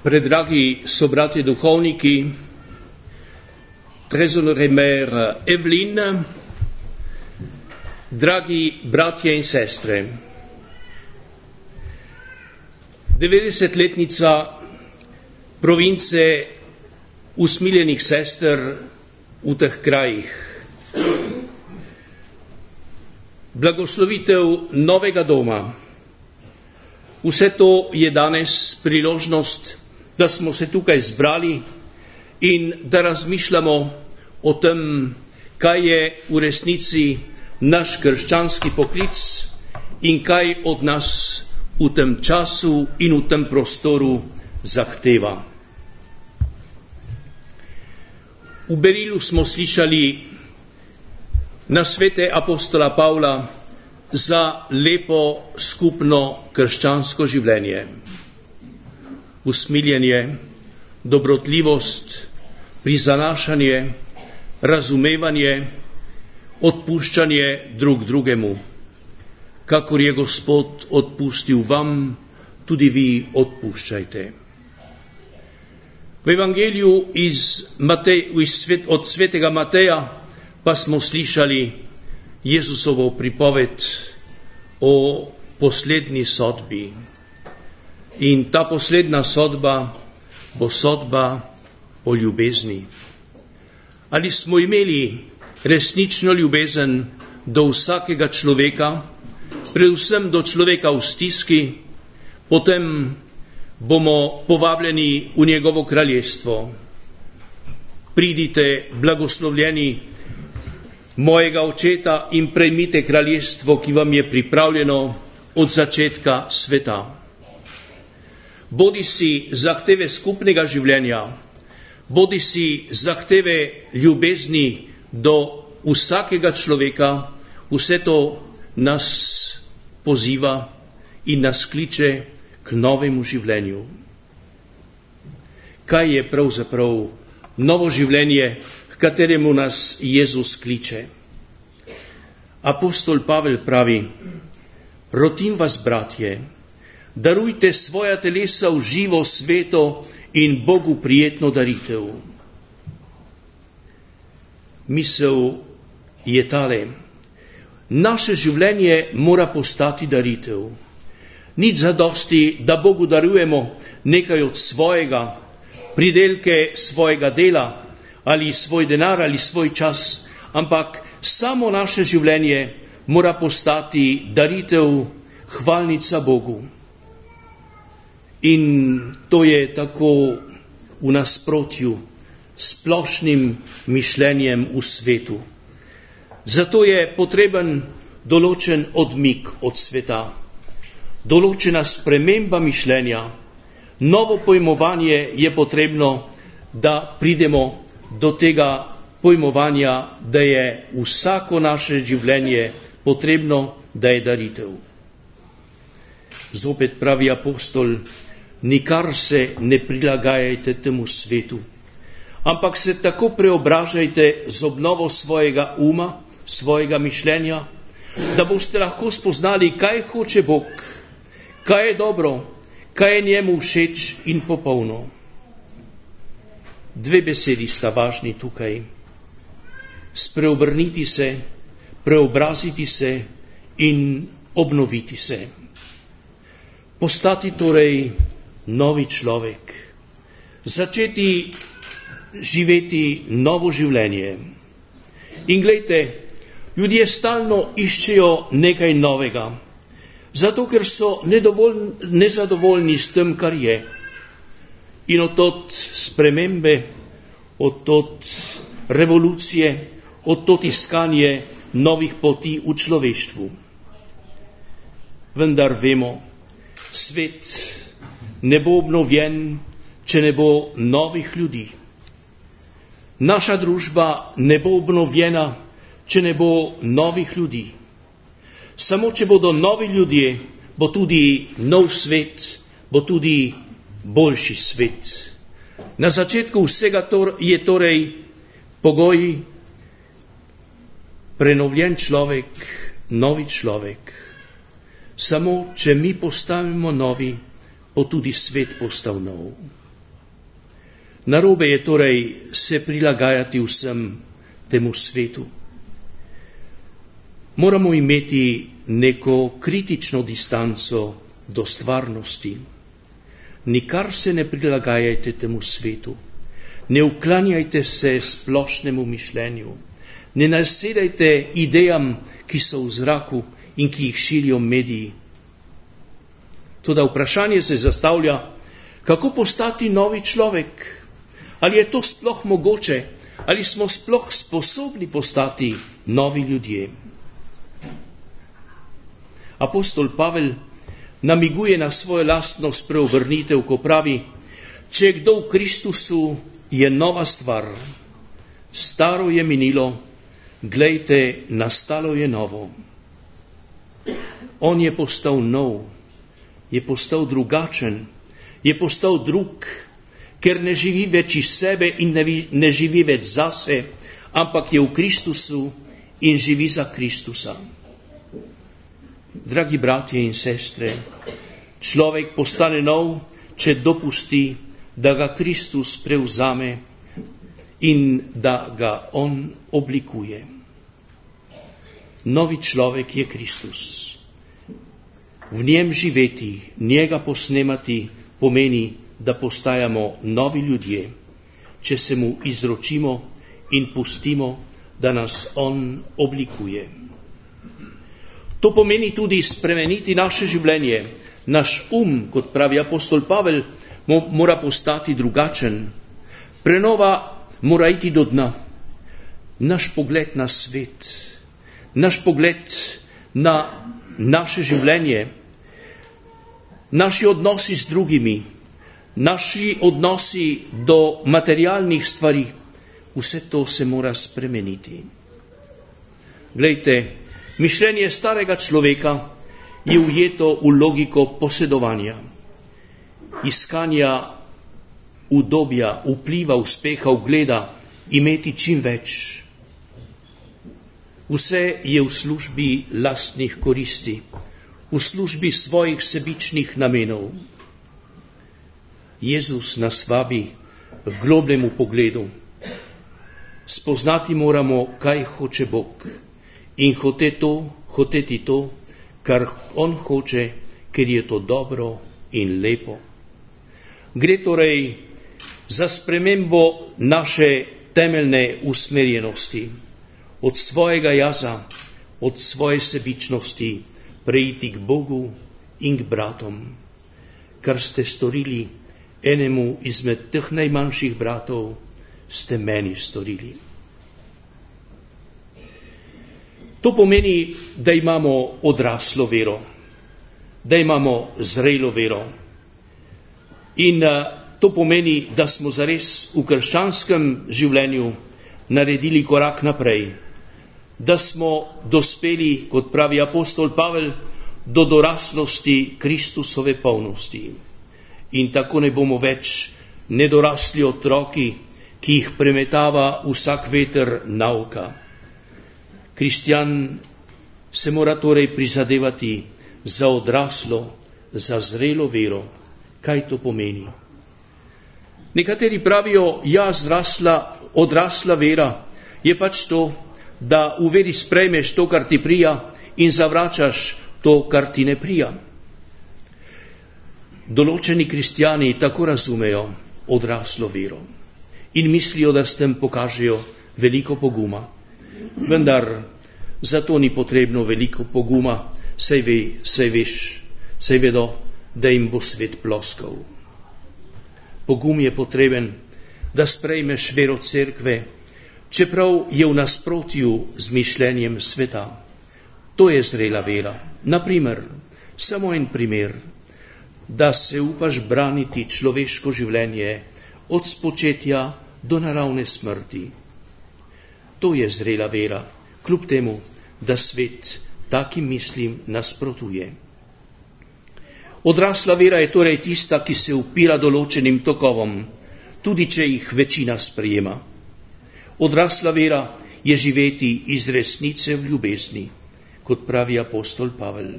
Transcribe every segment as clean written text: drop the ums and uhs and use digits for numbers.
Predragi sobrati duhovniki, trezoremer Evelyn, dragi bratje in sestre, 90-letnica province usmiljenih sester v teh krajih. Blagoslovitev novega doma. Vse to je danes priložnost, da smo se tukaj zbrali in da razmišljamo o tem, kaj je v resnici naš krščanski poklic in kaj od nas v tem času in v tem prostoru zahteva. V Berilu smo slišali nasvete apostola Pavla za lepo skupno krščansko življenje. Usmiljenje, dobrotljivost, prizanašanje, razumevanje, odpuščanje drug drugemu. Kakor je Gospod odpustil vam, tudi vi odpuščajte. V Evangeliju od svetega Mateja pa smo slišali Jezusovo pripoved o poslednji sodbi. In ta posledna sodba bo sodba o ljubezni. Ali smo imeli resnično ljubezen do vsakega človeka, predvsem do človeka v stiski, potem bomo povabljeni v njegovo kraljestvo. Pridite, blagoslovljeni mojega očeta, in prejmite kraljestvo, ki vam je pripravljeno od začetka sveta. Bodi si zahteve skupnega življenja, bodi si zahteve ljubezni do vsakega človeka, vse to nas poziva in nas kliče k novemu življenju. Kaj je pravzaprav novo življenje, k kateremu nas Jezus kliče? Apostol Pavel pravi: rotim vas, bratje, darujte svoja telesa v živo, sveto in Bogu prijetno daritev. Misel je tale: naše življenje mora postati daritev. Nič zadosti, da Bogu darujemo nekaj od svojega, pridelke svojega dela, ali svoj denar, ali svoj čas, ampak samo naše življenje mora postati daritev, hvalnica Bogu. In to je tako v nasprotju s splošnim mišljenjem v svetu. Zato je potreben določen odmik od sveta, določena sprememba mišljenja, novo pojmovanje je potrebno, da pridemo do tega pojmovanja, da je vsako naše življenje potrebno, da je daritev. Zopet pravi apostol: nikar se ne prilagajajte temu svetu, ampak se tako preobražajte z obnovo svojega uma, svojega mišljenja, da boste lahko spoznali, kaj hoče Bog, kaj je dobro, kaj je njemu všeč in popolno. Dve besedi sta važni tukaj: spreobrniti se, preobraziti se in obnoviti se. Postati torej novi človek, začeti živeti novo življenje. In glejte, ljudje stalno iščejo nekaj novega, zato ker so nezadovoljni s tem, kar je. In od tod spremembe, od tod revolucije, od tod iskanje novih poti v človeštvu. Vendar vemo, svet ne bo obnovljen, če ne bo novih ljudi. Naša družba ne bo obnovljena, če ne bo novih ljudi. Samo če bodo novi ljudje, bo tudi nov svet, bo tudi boljši svet. Na začetku vsega je torej pogoj prenovljen človek, novi človek. Samo, če mi postanemo novi, bo tudi svet postal nov. Narobe je torej se prilagajati vsem temu svetu. Moramo imeti neko kritično distanco do stvarnosti. Nikar se ne prilagajajte temu svetu. Ne uklanjajte se splošnemu mišljenju. Ne nasedajte idejam, ki so v zraku in ki jih širijo mediji. Toda vprašanje se zastavlja, kako postati novi človek? Ali je to sploh mogoče? Ali smo sploh sposobni postati novi ljudje? Apostol Pavel namiguje na svojo lastno spreobrnitev, ko pravi, če je kdo v Kristusu, je nova stvar. Staro je minilo, glejte, nastalo je novo. On je postal nov, je postal drugačen, je postal drug, ker ne živi več iz sebe in ne živi več zase, ampak je v Kristusu in živi za Kristusa. Dragi bratje in sestre, človek postane nov, če dopusti, da ga Kristus prevzame in da ga on oblikuje. Novi človek je Kristus. V njem živeti, njega posnemati, pomeni, da postajamo novi ljudje, če se mu izročimo in pustimo, da nas on oblikuje. To pomeni tudi spremeniti naše življenje. Naš kot pravi apostol Pavel, mora postati drugačen. Prenova mora iti do dna. Naš pogled na svet, naš pogled na naše življenje, naši odnosi z drugimi, naši odnosi do materialnih stvari, vse to se mora spremeniti. Glejte, mišljenje starega človeka je ujeto v logiko posedovanja, iskanja udobja, vpliva, uspeha, ugleda, imeti čim več. Vse je v službi lastnih koristi, v službi svojih sebičnih namenov. Jezus nas vabi k globljemu pogledu. Spoznati moramo, kaj hoče Bog. In hoteti to, kar on hoče, ker je to dobro in lepo. Gre torej za spremembo naše temeljne usmerjenosti, od svojega jaza, od svoje sebičnosti, preiti k Bogu in k bratom. Kar ste storili enemu izmed teh najmanjših bratov, ste meni storili. To pomeni, da imamo odraslo vero, da imamo zrelo vero. In to pomeni, da smo zares v krščanskem življenju naredili korak naprej, da smo dospeli, kot pravi apostol Pavel, do doraslosti Kristusove polnosti. In tako ne bomo več nedorasli otroki, ki jih premetava vsak veter nauka. Kristjan se mora torej prizadevati za odraslo, za zrelo vero. Kaj to pomeni? Nekateri pravijo, odrasla vera je pač to, da v veri sprejmeš to, kar ti prija, in zavračaš to, kar ti ne prija. Določeni kristjani tako razumejo odraslo vero in mislijo, da s tem pokažejo veliko poguma. Vendar za to ni potrebno veliko poguma, saj vedo, da jim bo svet ploskal. Pogum je potreben, da sprejmeš vero cerkve, čeprav je v nasprotju z mišljenjem sveta. To je zrela vera. Naprimer, samo en primer, da se upaš braniti človeško življenje od spočetja do naravne smrti. To je zrela vera, kljub temu, da svet takim mislim nasprotuje. Odrasla vera je torej tista, ki se upira določenim tokovom, tudi če jih večina sprejema. Odrasla vera je živeti iz resnice v ljubezni, kot pravi apostol Pavel.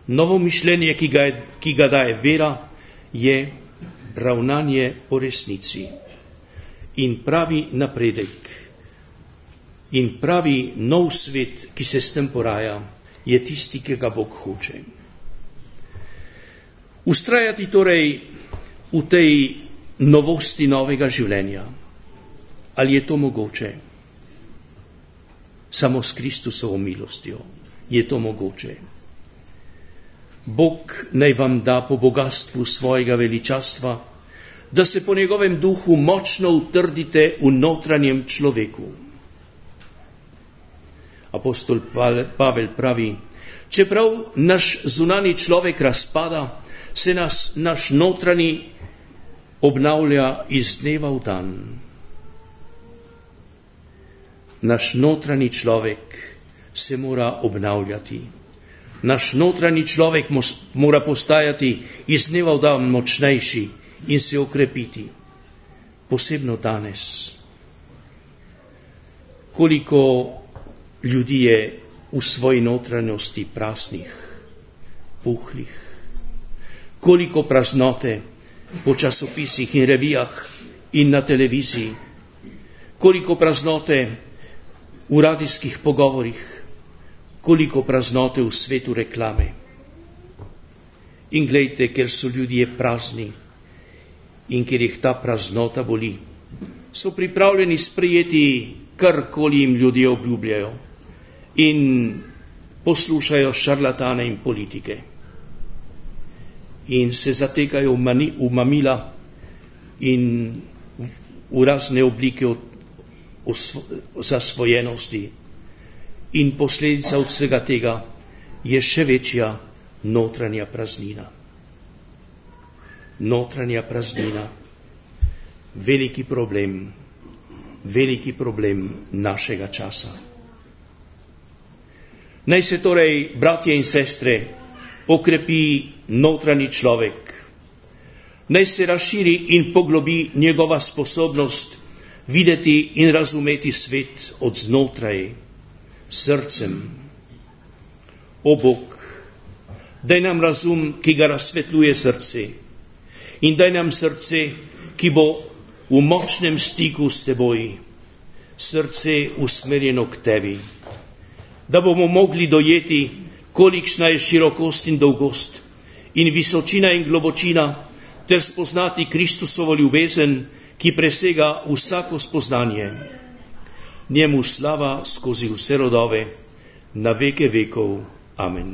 Novo mišljenje, ki ga daje vera, je ravnanje po resnici. In pravi napredek in pravi nov svet, ki se s tem poraja, je tisti, ki ga Bog hoče. Ustrajati torej v tej novosti novega življenja. Ali je to mogoče? Samo s Kristusovo milostjo je to mogoče. Bog naj vam da po bogatstvu svojega veličastva, da se po njegovem duhu močno utrdite v notranjem človeku. Apostol Pavel pravi, čeprav naš zunani človek razpada, se naš notranji obnavlja iz dneva v dan. Naš notranji človek se mora obnavljati. Naš notranji človek mora postajati iz dneva v dan močnejši in se okrepiti. Posebno danes. Koliko ljudi je v svoji notranjosti praznih, puhlih. Koliko praznote po časopisih in revijah in na televiziji. Koliko praznote v radijskih pogovorih. Koliko praznote v svetu reklame. In glejte, ker so ljudje prazni in ker jih ta praznota boli, so pripravljeni sprejeti karkoli jim ljudje obljubljajo in poslušajo šarlatane in politike. In se zatekajo v mamila in v razne oblike zasvojenosti. In posledica od vsega tega je še večja notranja praznina. Notranja praznina. Veliki problem našega časa. Naj se torej, bratje in sestre, okrepi notranji človek. Naj se razširi in poglobi njegova sposobnost videti in razumeti svet od znotraj, srcem. O Bog, daj nam razum, ki ga razsvetljuje srce, in daj nam srce, ki bo v močnem stiku s teboj, srce usmerjeno k tebi, da bomo mogli dojeti, kolikšna je širokost in dolgost in visočina in globočina, ter spoznati Kristusovo ljubezen, ki presega vsako spoznanje. Njemu slava skozi vse rodove, na veke vekov. Amen.